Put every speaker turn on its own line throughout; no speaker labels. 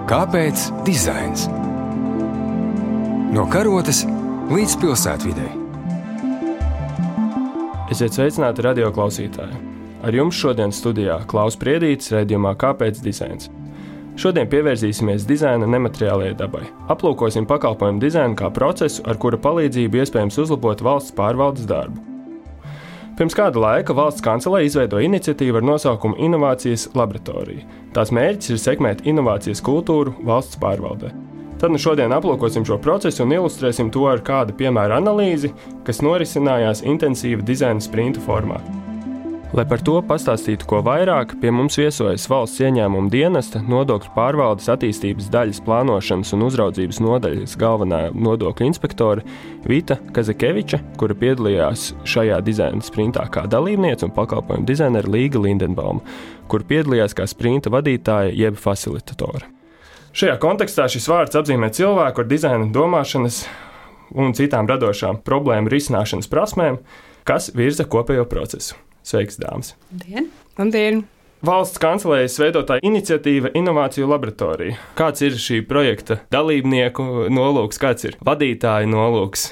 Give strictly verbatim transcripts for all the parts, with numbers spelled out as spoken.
Kāpēc dizains? No karotes līdz pilsētvidei.
Esiet sveicināti radio klausītāji. Ar jums šodien studijā Klaus Priedītis raidījumā Kāpēc dizains? Šodien pievērsīsimies dizaina nemateriālajai dabai. Aplūkosim pakalpojumu dizainu kā procesu, ar kura palīdzību iespējams uzlabot valsts pārvaldes darbu. Pirms kāda laika valsts kancelē izveidoja iniciatīvu ar nosaukumu Inovācijas laboratorija. Tās mērķis ir sekmēt inovācijas kultūru valsts pārvaldē. Tad nu šodien aplūkosim šo procesu un ilustrēsim to ar kādu piemēra analīzi, kas norisinājās intensīva dizaina sprinta formā. Lai par to pastāstītu ko vairāk, pie mums viesojas valsts ieņēmuma dienesta nodokļu pārvaldes attīstības daļas plānošanas un uzraudzības nodaļas galvenā nodokļu inspektore Vita Kazakeviča, kura piedalījās šajā dizaina sprintā kā dalībniece, un pakalpojumu dizainera Līga Lindenbauma, kur piedalījās kā sprinta vadītāja jeb facilitatore. Šajā kontekstā šis vārds apzīmē cilvēku ar dizaina domāšanas un citām radošām problēmu risināšanas prasmēm, kas virza kopējo procesu. Sveiks, dāmas!
Labdien! Labdien!
Valsts kancelējas veidotā iniciatīva Inovāciju laboratorija. Kāds ir šī projekta dalībnieku nolūks, kāds ir vadītāja nolūks?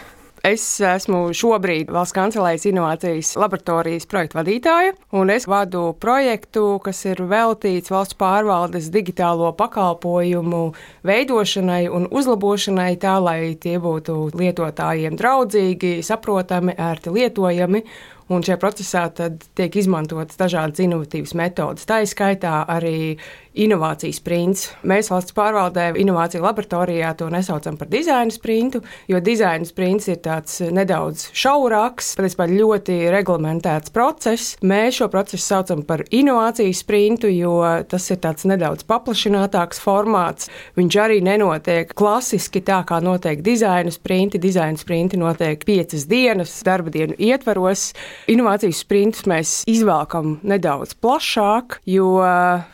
Es esmu šobrīd Valsts kancelējas Inovācijas laboratorijas projektu vadītāja, un es vadu projektu, kas ir veltīts valsts pārvaldes digitālo pakalpojumu veidošanai un uzlabošanai tā, lai tie būtu lietotājiem draudzīgi, saprotami, ērti lietojami. Un šajā procesā tad tiek izmantotas dažādas inovatīvas metodas. Tā ir skaitā arī inovācijas sprints. Mēs valsts pārvaldē inovāciju laboratorijā to nesaucam par dizaina sprintu, jo dizaina sprints ir tāds nedaudz šaurāks, patiesībā ļoti reglamentēts process. Mēs šo procesu saucam par inovācijas sprintu, jo tas ir tāds nedaudz paplašinātāks formāts. Viņš arī nenotiek klasiski tā, kā notiek dizaina sprinti. Dizaina sprinti notiek piecas dienas darba dienu ietvaros. Inovācijas sprintus mēs izvēlkam nedaudz plašāk, jo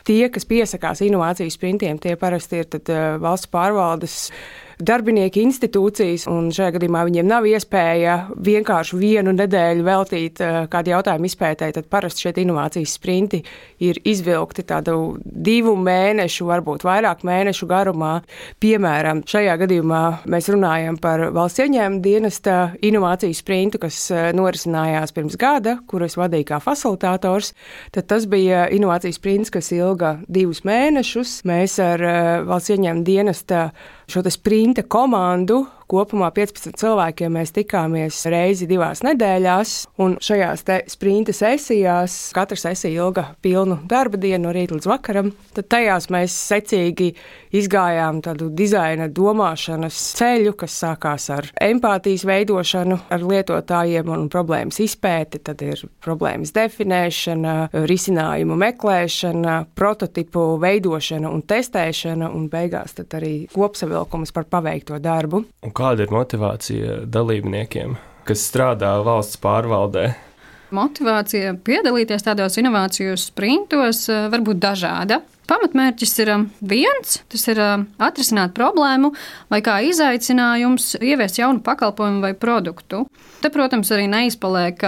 tie, kas piesakās inovācijas sprintiem, tie parasti ir tad valsts pārvaldes darbinieki institūcijas, un šajā gadījumā viņiem nav iespēja vienkārši vienu nedēļu veltīt kādu jautājumu izpētēji, tad parasti šeit inovācijas sprinti ir izvilkti tādu divu mēnešu, varbūt vairāk mēnešu garumā. Piemēram, šajā gadījumā mēs runājam par valsts ieņēmuma dienesta inovācijas sprintu, kas norisinājās pirms gada, kuru es vadīju kā facilitators. Tad tas bija inovācijas sprints, kas ilga divus mēnešus. Mēs ar valsts ieņēmuma dienesta šo te sprinta komandu, kopumā piecpadsmit cilvēkiem mēs tikāmies reizi divās nedēļās, un šajās te sprinta sesijās, katra sesija ilga pilnu darba dienu no rīta līdz vakaram, tad tajās mēs secīgi izgājām tādu dizaina domāšanas ceļu, kas sākās ar empātijas veidošanu ar lietotājiem un problēmas izpēti, tad ir problēmas definēšana, risinājumu meklēšana, prototipu veidošana un testēšana, un beigās tad arī kopsavilkums par paveikto darbu.
Un kāda ir motivācija dalībniekiem, kas strādā valsts pārvaldē?
Motivācija piedalīties tādos inovāciju sprintos var būt dažāda. Pamatmērķis ir viens, tas ir atrisināt problēmu vai kā izaicinājums ieviest jaunu pakalpojumu vai produktu. Te, protams, arī neizpaliek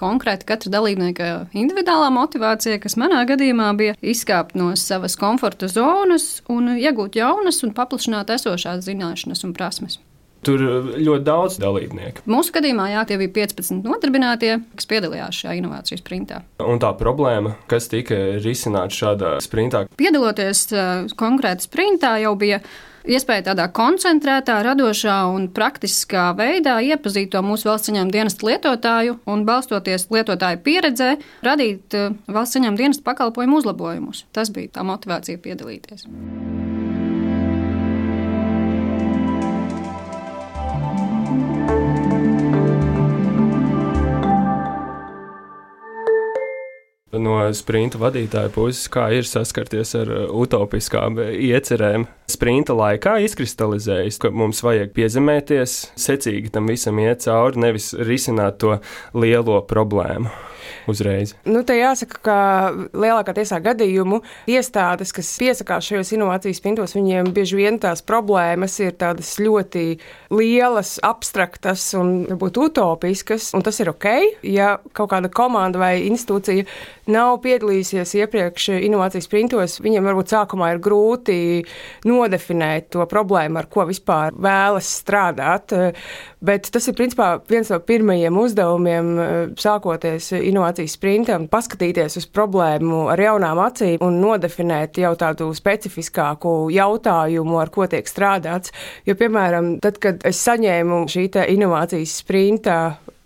konkrēti katra dalībnieka individuālā motivācija, kas manā gadījumā bija izkāpt no savas komforta zonas un iegūt jaunas un paplašināt esošās zināšanas un prasmes.
Tur ļoti daudz dalībnieku.
Mūsu gadījumā jā, tie bija piecpadsmit nodarbinātie, kas piedalījās šajā inovāciju sprintā.
Un tā problēma, kas tika risināta šādā sprintā?
Piedaloties uh, konkrēti sprintā, jau bija iespēja tādā koncentrētā, radošā un praktiskā veidā iepazīt to mūsu valsts ieņēmuma dienesta lietotāju un, balstoties lietotāju pieredzē, radīt uh, valsts ieņēmuma dienesta pakalpojumu uzlabojumus. Tas bija tā motivācija piedalīties.
No sprinta vadītāja puses, kā ir saskarties ar utopiskām iecerēm. Sprinta laikā izkristalizējas, ka mums vajag piezemēties, secīgi tam visam iet cauri, nevis risināt to lielo problēmu. uzreiz?
Nu, te jāsaka, ka lielākā tiesā gadījumu iestādes, kas piesakās šajos inovācijas sprintos, viņiem bieži vien tās problēmas ir tādas ļoti lielas, abstraktas un varbūt utopiskas, un tas ir ok, ja kaut kāda komanda vai institūcija nav piedalījusies iepriekš inovācijas sprintos, viņiem varbūt sākumā ir grūti nodefinēt to problēmu, ar ko vispār vēlas strādāt. Bet tas ir principā viens no pirmajiem uzdevumiem, sākoties inovācijas sprintam, paskatīties uz problēmu ar jaunām acīm un nodefinēt jau tādu specifiskāku jautājumu, ar ko tiek strādāts. Jo, piemēram, tad, kad es saņēmu šī te inovācijas sprinta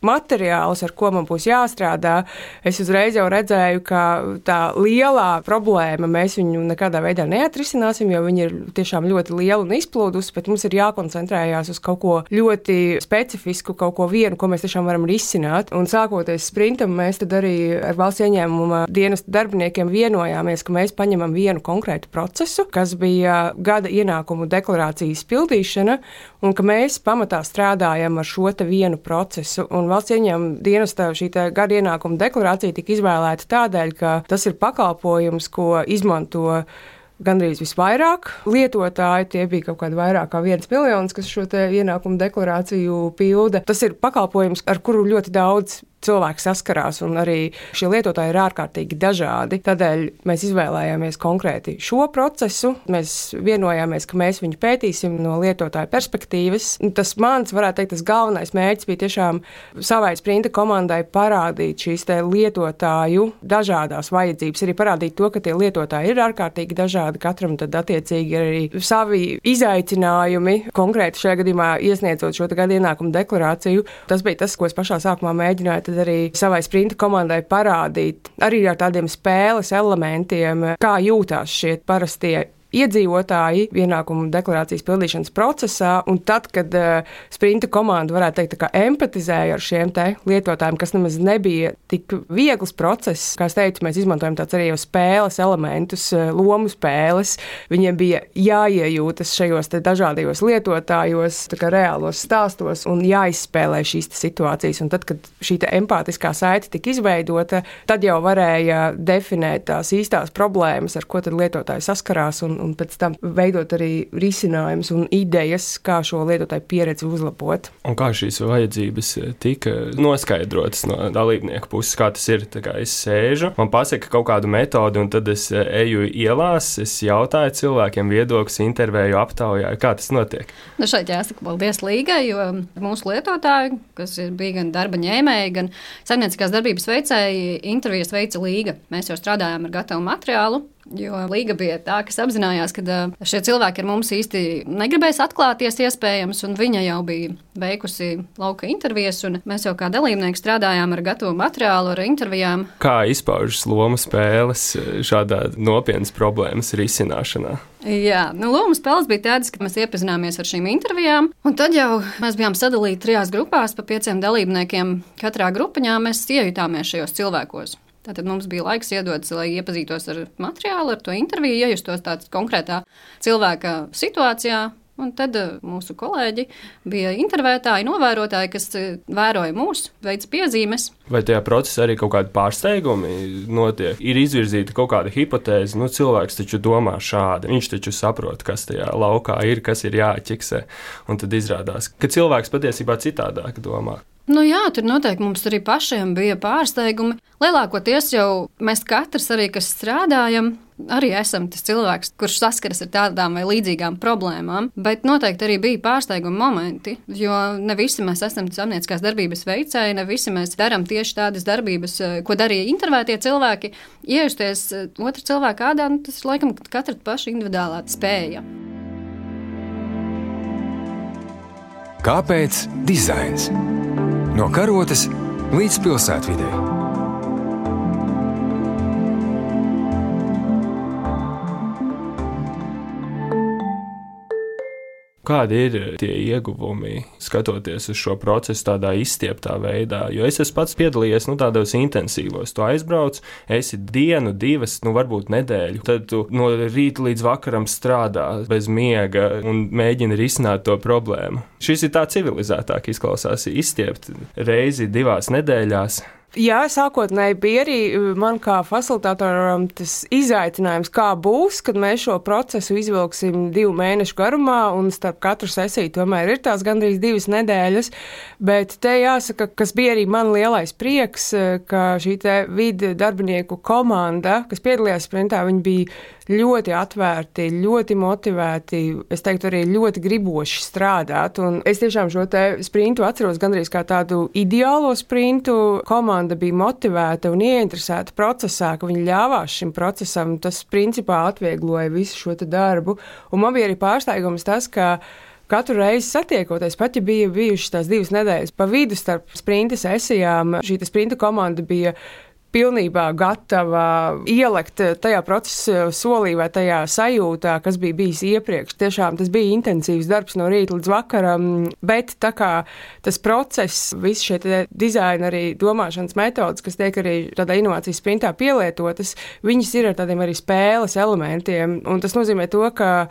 materiālus, ar ko man būs jāstrādā, es uzreiz jau redzēju, ka tā lielā problēma mēs viņu nekādā veidā neatrisināsim, jo viņa ir tiešām ļoti liela un izplūdusi, bet mums ir jākoncentrējās uz kaut ko ļoti specifisku, kaut ko vienu, ko mēs tiešām varam risināt. Un sākoties sprintam, mēs tad arī ar valsts ieņēmuma dienesta darbiniekiem vienojāmies, ka mēs paņemam vienu konkrētu procesu, kas bija gada ienākumu deklarācijas pildīšana, un ka mēs pamatā strādājam ar šo te vienu procesu. Un valsts ieņēmuma dienesta šī gada ienākuma deklarācija tika izvēlēta tādēļ, ka tas ir pakalpojums, ko izmanto gandrīz visvairāk lietotāji. Tie bija kaut kādi vairāk kā viens miljons, kas šo te ienākumu deklarāciju pilda. Tas ir pakalpojums, ar kuru ļoti daudz cilvēki saskarās, un arī šie lietotāji ir ārkārtīgi dažādi. Tādēļ mēs izvēlējāmies konkrēti šo procesu. Mēs vienojāmies, ka mēs viņu pētīsim no lietotāja perspektīvas. Tas mans, varētu teikt, tas galvenais mērķis bija tiešām savai sprinta komandai parādīt šīs te lietotāju dažādās vajadzības, arī parādīt to, ka tie lietotāji ir ārkārtīgi dažādi, katram tad attiecīgi ir arī savi izaicinājumi, konkrēti šajā gadījumā iesniedzot šo te gada ienākumu deklarāciju. Tas bija tas, ko es pašā sākumā mēģināju arī savai sprinta komandai parādīt, arī ar tādiem spēles elementiem, kā jūtās šie parastie iedzīvotāji ienākumu deklarācijas pildīšanas procesā, un tad, kad uh, sprinta komanda, varētu teikt, tā kā empatizēja ar šiem te lietotājiem, kas nemaz nebija tik viegls process, kā es teicu, mēs izmantojam tāds arī jau spēles elementus, uh, lomu spēles, viņiem bija jāiejūtas šajos te dažādajos lietotājos, tā kā reālos stāstos, un jāizspēlē šīs te situācijas, un tad, kad šī te empātiskā saite tika izveidota, tad jau varēja definēt tās īstās problēmas, ar ko tad lietotāji saskarās, un un pēc tam veidot arī risinājumus un idejas, kā šo lietotāju pieredzi uzlabot.
Un kā šīs vajadzības tika noskaidrotas no dalībnieku puses, kā tas ir? Tā kā es sēžu, man pasaka kaut kādu metodi, un tad es eju ielās, es jautāju cilvēkiem viedokļus, intervēju, aptaujāju. Kā tas notiek?
Nu šeit jāsaka paldies Līgai, jo mūsu lietotāji, kas bija gan darba ņēmēji, gan saimnieciskās darbības veicēji, intervijas veica Līga. Mēs jau strādājām ar gatavu materiālu, jo Līga bija tā, kas apzinājās, ka šie cilvēki ar mums īsti negribēs atklāties iespējams, un viņa jau bija veikusi lauka intervijas, un mēs jau kā dalībnieki strādājām ar gatavu materiālu, ar intervijām.
Kā izpaužas lomu spēles šādā nopietnas problēmas risināšanā?
Jā, nu, lomu spēles bija tādas, ka mēs iepazināmies ar šīm intervijām, un tad jau mēs bijām sadalīti trijās grupās pa pieciem dalībniekiem. Katrā grupiņā mēs iejutāmies šajos cilvēkos. Tātad mums bija laiks iedots, lai iepazītos ar materiālu, ar to interviju, iejustos tādā konkrētā cilvēka situācijā. Un tad mūsu kolēģi bija intervētāji, novērotāji, kas vēroja mūs, veica piezīmes.
Vai tajā procesā arī kaut kādi pārsteigumi notiek? Ir izvirzīta kaut kāda hipotēze, nu cilvēks taču domā šādi, viņš taču saprot, kas tajā laukā ir, kas ir jāķiksē. Un tad izrādās, ka cilvēks patiesībā citādāk domā.
Nu jā, tur noteikti mums arī pašiem bija pārsteigumi. Lielākoties jau mēs katrs arī, kas strādājam, arī esam tas cilvēks, kurš saskaras ar tādām vai līdzīgām problēmām, bet noteikti arī bija pārsteiguma momenti, jo ne visi mēs esam saimnieciskās darbības veicēji, ne visi mēs darām tieši tādas darbības, ko darīja intervētie cilvēki. Iejusties otra cilvēka ādā, nu, tas ir laikam katra paša individuālā spēja.
Kāpēc dizains? No karotes līdz pilsētvidei.
Kādi ir tie ieguvumi, skatoties uz šo procesu tādā izstieptā veidā? Jo es esmu pats piedalījies nu, tādos intensīvos. Tu aizbrauc, esi dienu, divas, nu varbūt nedēļu. Tad tu no rīta līdz vakaram strādā bez miega un mēģini risināt to problēmu. Šis ir tā civilizētāk izklausās, izstiept reizi divās nedēļās.
Jā, sākotnēji bija arī man kā facilitatoram tas izaicinājums, kā būs, kad mēs šo procesu izvilksim divu mēnešu garumā, un starp katru sesiju tomēr ir tās gandrīz divas nedēļas, bet te jāsaka, kas bija arī man lielais prieks, ka šī te vidu darbinieku komanda, kas piedalījās sprintā, viņi bija ļoti atvērti, ļoti motivēti, es teiktu arī ļoti griboši strādāt, un es tiešām šo te sprintu atceros gandrīz kā tādu ideālo sprintu. Komanda bija motivēta un ieinteresēta procesā, ka viņi ļāvās šim procesam, tas principā atviegloja visu šo te darbu, un man bija arī pārsteigums tas, ka katru reizi satiekoties, pat ja bija bijušas tās divas nedēļas pa vidu starp sprinta sesijām, šī te sprinta komanda bija pilnībā gatava ielekt tajā procesa solī vai tajā sajūtā, kas bija bijis iepriekš. Tiešām tas bija intensīvs darbs no rīta līdz vakaram, bet tā kā tas process, visi šie dizaina arī domāšanas metodas, kas tiek arī tādā inovācijas sprintā pielietotas, viņas ir ar tādiem arī spēles elementiem, un tas nozīmē to, ka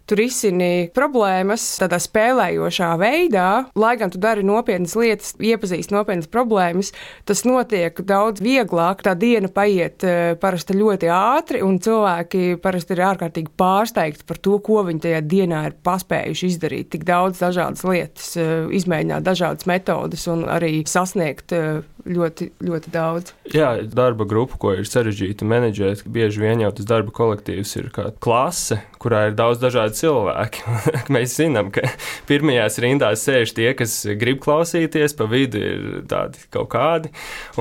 tu risini problēmas tādā spēlējošā veidā, lai gan tu dari nopietnas lietas, iepazīst nopietnas problēmas, tas notiek daudz vieglāk, tā diena paiet parasti ļoti ātri, un cilvēki parasti ir ārkārtīgi pārsteigti par to, ko viņi tajā dienā ir paspējuši izdarīt. Tik daudz dažādas lietas, izmēģināt dažādas metodas un arī sasniegt ļoti, ļoti daudz.
Jā, darba grupa, ko ir sarežģīti menedžēt, bieži vien jau tas darba kolektīvs ir kā klase, kurā ir daudz dažādu cilvēki. Mēs zinām, ka pirmajās rindās sēž tie, kas grib klausīties, pa vidu ir tādi kaut kādi,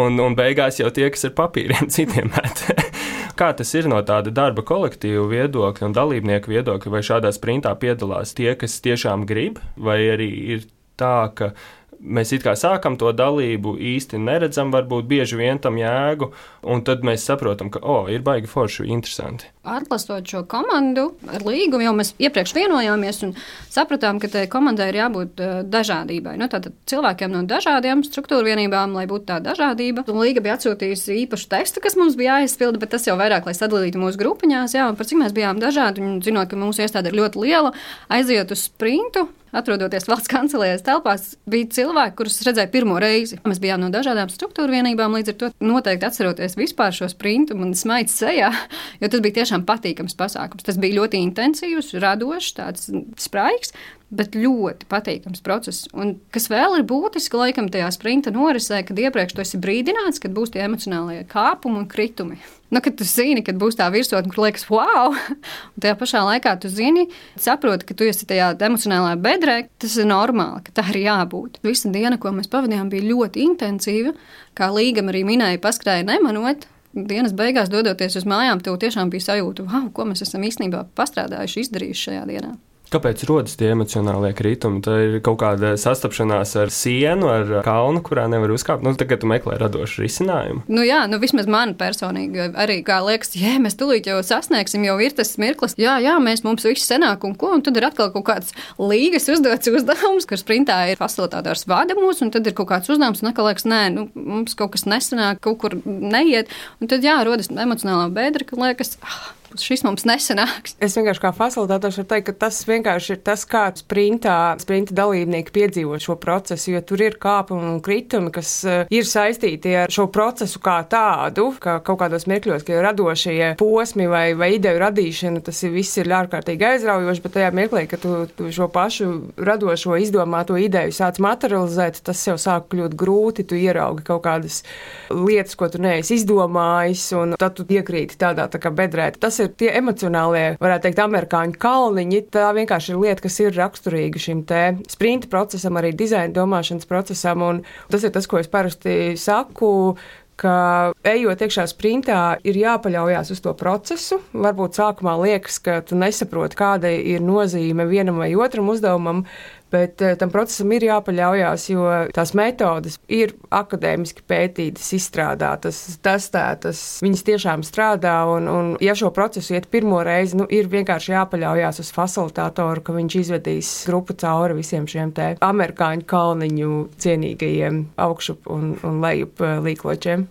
un, un beigās jau tie, kas ar papīriem citiem met. Kā tas ir no tāda darba kolektīva viedokļa un dalībnieku viedokļa, vai šādā sprintā piedalās tie, kas tiešām grib, vai arī ir tā, ka mēs it kā sākam to dalību, īsti neredzam varbūt bieži vien tam jēgu, un tad mēs saprotam, ka, o, ir baigi forši, interesanti.
Atlastot šo komandu ar līgumu, jau mēs iepriekš vienojāmies un sapratām, ka tai komandai ir jābūt dažādībai. Nu, tātad cilvēkiem no dažādiem struktūra vienībām, lai būtu tā dažādība. Un līga bija atsūtījusi īpašu tekstu, kas mums bija jāizpilda, bet tas jau vairāk, lai sadalītu mūsu grupiņās, jā, un par cik mēs bijām dažādi, un zinot, ka mūsu iestāde ir ļoti liela, aiziet uz sprintu, atrodoties valsts kancelējas telpās, bija cilvēki, kurus redzēju pirmo reizi. Mēs bijām no dažādām struktūra vienībām, līdz ar to noteikti atceroties vispār šo sprintu, man smaids sejā, jo tas bija tiešām patīkams pasākums. Tas bija ļoti intensīvs, radošs, tāds spraigs, bet ļoti patīkams process. Un kas vēl ir būtiski, laikam, tajā sprinta norisē, kad iepriekš tu esi brīdināts, kad būs tie emocionālie kāpumi un kritumi. Nu, kad tu zini, kad būs tā virsotne, kur liekas, wow, un tajā pašā laikā tu zini, saproti, ka tu esi tajā emocionālajā bedrē, tas ir normāli, ka tā ir jābūt. Visa diena, ko mēs pavadījām, bija ļoti intensīva, kā līgam arī minēja, paskrēja nemanot. Dienas beigās, dodoties uz mājām, tev tiešām bija sajūta, wow, ko mēs esam īstenībā pastrādājuši, izdarījuši šajā dienā.
Kāpēc rodas tie emocionālie kritumi? Tā ir kaut kāda sastapšanās ar sienu, ar kalnu, kurā nevar uzkāpt. Nu, tagad tu meklē radošu risinājumu.
Nu jā, nu vismaz man personīgi arī kā liekas, jā, mēs tūlīt jau sasniegsim, jau ir tas mirklis. Jā, jā, mēs mums viss senāk un ko, un tad ir atkal kaut kāds līgas uzdots uzdevums, kur sprintā ir facilitātors vada mūs, un tad ir kaut kāds uzdevums, un atkal liekas, nē, nu, mums kaut kas nesenāk, kaut kur neiet, un tad jā, rodas emocionālā bedra, ka liekas, ah, šis mums nesanāks.
Es vienkārši kā facilitātors varu teikt, ka tas vienkārši ir tas, kā sprintā, sprinta dalībnieki piedzīvo šo procesu, jo tur ir kāpumi un kritumi, kas ir saistīti ar šo procesu kā tādu, ka kaut kādos mirkļos, ka ir radošie posmi vai, vai ideju radīšana, tas ir, viss ir ārkārtīgi aizraujoši, bet tajā mirklī, ka tu, tu šo pašu radošo izdomāto ideju sāc materializēt, tas jau sāk kļūt grūti, tu ieraugi kaut kādas lietas, ko tu neesi izdomājis, un tad tu iekrīti tādā tā kā bedrē. Tas ir tie emocionālie, varētu teikt, amerikāņu kalniņi. Tā vienkārši ir lieta, kas ir raksturīga šim te sprinta procesam, arī dizaina domāšanas procesam, un tas ir tas, ko es parasti saku, ka ejot iekšā sprintā ir jāpaļaujās uz to procesu. Varbūt sākumā liekas, ka tu nesaproti, kāda ir nozīme vienam vai otram uzdevumam, bet tam procesam ir jāpaļaujās, jo tās metodas ir akadēmiski pētītas, izstrādātas, testētas, viņas tiešām strādā, un, un ja šo procesu iet pirmo reizi, nu, ir vienkārši jāpaļaujās uz facilitātoru, ka viņš izvedīs grupu cauri visiem šiem te amerikāņu kalniņu cienīgajiem augšup un, un lejup līkločiem.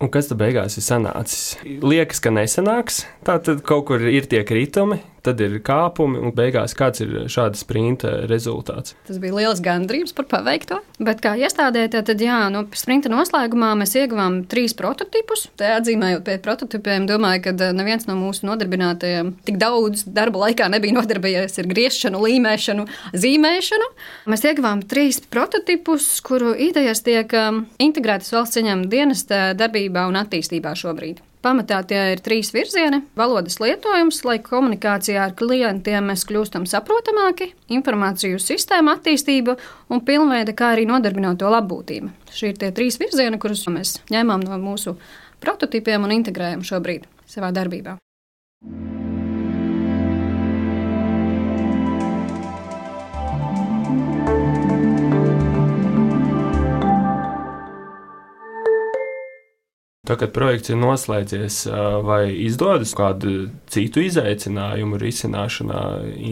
Un kas tad beigās ir sanācis? Liekas, ka nesanāks, tā tad kaut kur ir tie kritumi, tad ir kāpumi, un beigās kāds ir šāda sprinta rezultāts.
Tas bija liels gandrības par paveikto, bet kā iestādē, tad jā, no sprinta noslēgumā mēs ieguvām trīs prototipus. Te atzīmējot pie prototipiem, domāju, ka neviens no mūsu nodarbinātajiem tik daudz darba laikā nebija nodarbojies ar griešanu, līmēšanu, zīmēšanu. Mēs ieguvām trīs prototipus, kuru idejas tiek integrētas valsts ieņēmuma dienesta darbībā un attīstībā šobrīd. Pamatā tie ir trīs virzieni – valodas lietojums, lai komunikācijā ar klientiem mēs kļūstam saprotamāki, informāciju sistēma attīstība un pilnveida, kā arī nodarbināto labbūtība. Šie ir tie trīs virzieni, kurus mēs ņēmām no mūsu prototipiem un integrējam šobrīd savā darbībā.
Tā, kad projekts ir noslēdzies, vai izdodas kādu citu izaicinājumu risināšanā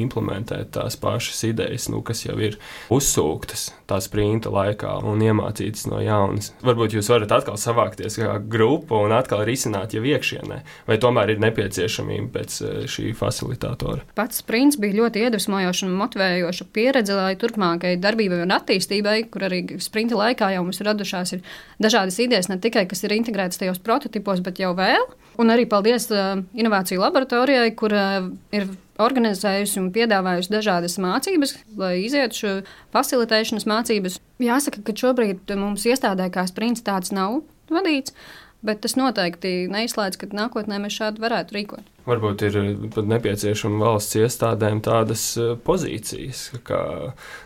implementēt tās pašas idejas, nu, kas jau ir uzsūktas tā sprinta laikā un iemācītas no jaunas? Varbūt jūs varat atkal savākties kā grupa un atkal risināt jau iekšienē, vai tomēr ir nepieciešamība pēc šī facilitātora?
Pats sprints bija ļoti iedvesmojoša un motivējoša pieredze, lai turpmākai darbībai un attīstībai, kur arī sprinta laikā jau mums radušās ir dažādas idejas, ne tikai, kas ir integrētas tajos prototipos, bet jau vēl. Un arī paldies uh, Inovāciju laboratorijai, kur uh, ir organizējusi un piedāvājusi dažādas mācības, lai izietu šo facilitēšanas mācības. Jāsaka, ka šobrīd mums iestādē kā sprints tāds nav vadīts, bet tas noteikti neizslēdz, ka nākotnē mēs šādi varētu rīkot.
Varbūt ir pat nepieciešama valsts iestādēm tādas pozīcijas, kā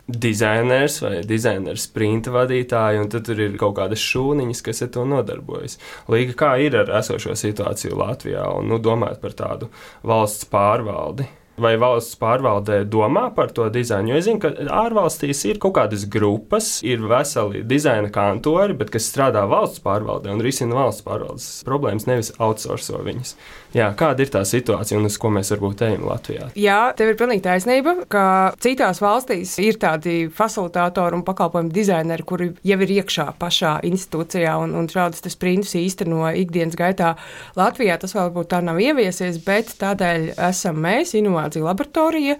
dizainers vai dizainers sprinta vadītāji, un tad tur ir kaut kādas šūniņas, kas ar to nodarbojas. Līga kā ir ar esošo situāciju Latvijā un nu, domāt par tādu valsts pārvaldi? Vai valsts pārvaldē domā par to dizainu? Jo es zinu, ka ārvalstīs ir kaut kādas grupas, ir veseli dizaina kantori, bet kas strādā valsts pārvaldē un risina valsts pārvaldes problēmas, nevis outsourco viņas. Jā, kāda ir tā situācija un uz ko mēs varbūt ejam Latvijā?
Jā, tev ir pilnīgi taisnība, ka citās valstīs ir tādi facilitātori un pakalpojumu dizaineri, kuri jau ir iekšā pašā institūcijā un, un šādus sprintus īsteno ikdienas gaitā. Latvijā tas vēl varbūt tā nav ieviesies, bet tādēļ esam mēs, Inovāciju laboratorija.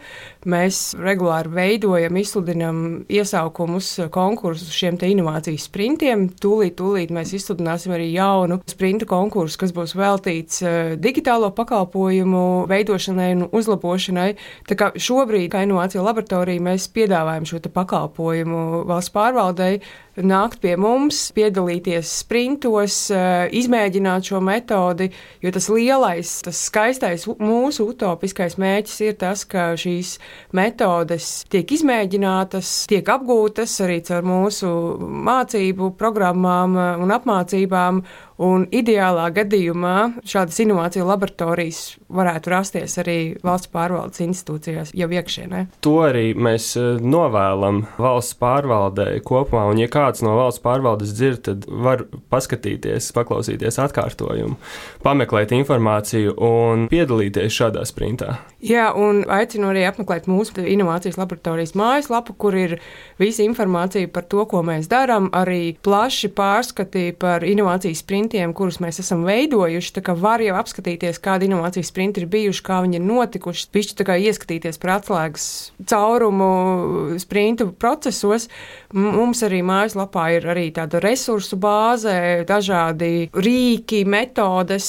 Mēs regulāri veidojam, izsludinam iesaukumus, konkursus šiem te inovācijas sprintiem. Tūlīt, tūlīt mēs izsludināsim arī jaunu sprintu konkursu, kas būs veltīts digitālo pakalpojumu veidošanai un uzlabošanai. Tā kā šobrīd, kā Inovāciju laboratorija, mēs piedāvājam šo te pakalpojumu valsts pārvaldei, nākt pie mums, piedalīties sprintos, izmēģināt šo metodi, jo tas lielais, tas skaistais mūsu utopiskais mērķis ir tas, ka šīs metodes tiek izmēģinātas, tiek apgūtas arī caur mūsu mācību programmām un apmācībām, un ideālā gadījumā šādas inovāciju laboratorijas varētu rasties arī valsts pārvaldes institūcijās jau iekšienē.
To arī mēs novēlam valsts pārvaldē kopumā, un ja kāds no valsts pārvaldes dzird, tad var paskatīties, paklausīties atkārtojumu, pameklēt informāciju un piedalīties šādā sprintā.
Jā, un aicinu arī apmeklēt mūsu inovācijas laboratorijas mājaslapu, kur ir visa informācija par to, ko mēs darām, arī plaši pārskati par inovācijas sprintiem, kurus mēs esam veidojuši, tā kā var jau apskatīties, kādi inovācijas sprinti ir bijuši, kā viņi ir notikuši, pišķi tā kā ieskatīties par atslēgas caurumu sprintu procesos. Mums arī mājaslapā ir arī tāda resursu bāze, dažādi rīki, metodes,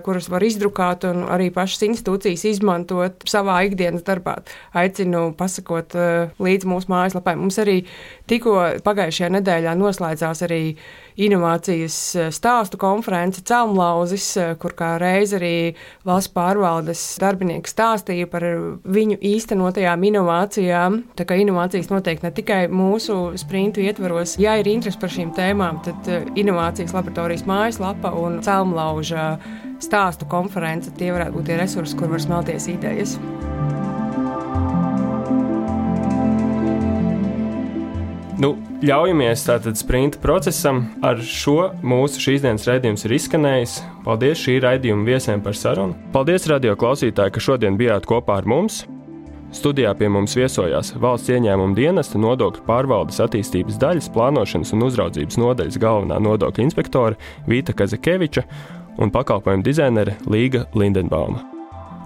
kuras var izdrukāt un arī pašas institūcijas izmantot savā ikdienas darbā. Aicinu pasakot līdz mūsu mājaslapai. Mums arī tikko pagājušajā nedēļā noslēdzās arī inovācijas stāstu konference Celmlauzis, kur kā reiz arī valsts pārvaldes darbinieki stāstīja par viņu īstenotajām inovācijām. Tā kā inovācijas notiek ne tikai mūsu sprintu ietvaros. Ja ir interesi par šīm tēmām, tad Inovācijas laboratorijas mājaslapa un Celmlauža stāstu konference, tie varētu būt tie resursi, kur var smelties idejas.
Nu, ļaujamies tātad sprinta procesam. Ar šo mūsu šīs dienas raidījums ir izskanējis. Paldies šī raidījuma viesiem par sarunu. Paldies radio klausītāji, ka šodien bijāt kopā ar mums. Studijā pie mums viesojās Valsts ieņēmuma dienesta nodokļu pārvaldes attīstības daļas plānošanas un uzraudzības nodaļas galvenā nodokļu inspektore Vīta Kazakeviča un pakalpojumu dizainere Līga Lindenbauma.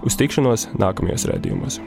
Uz tikšanos nākamajos raidījumos.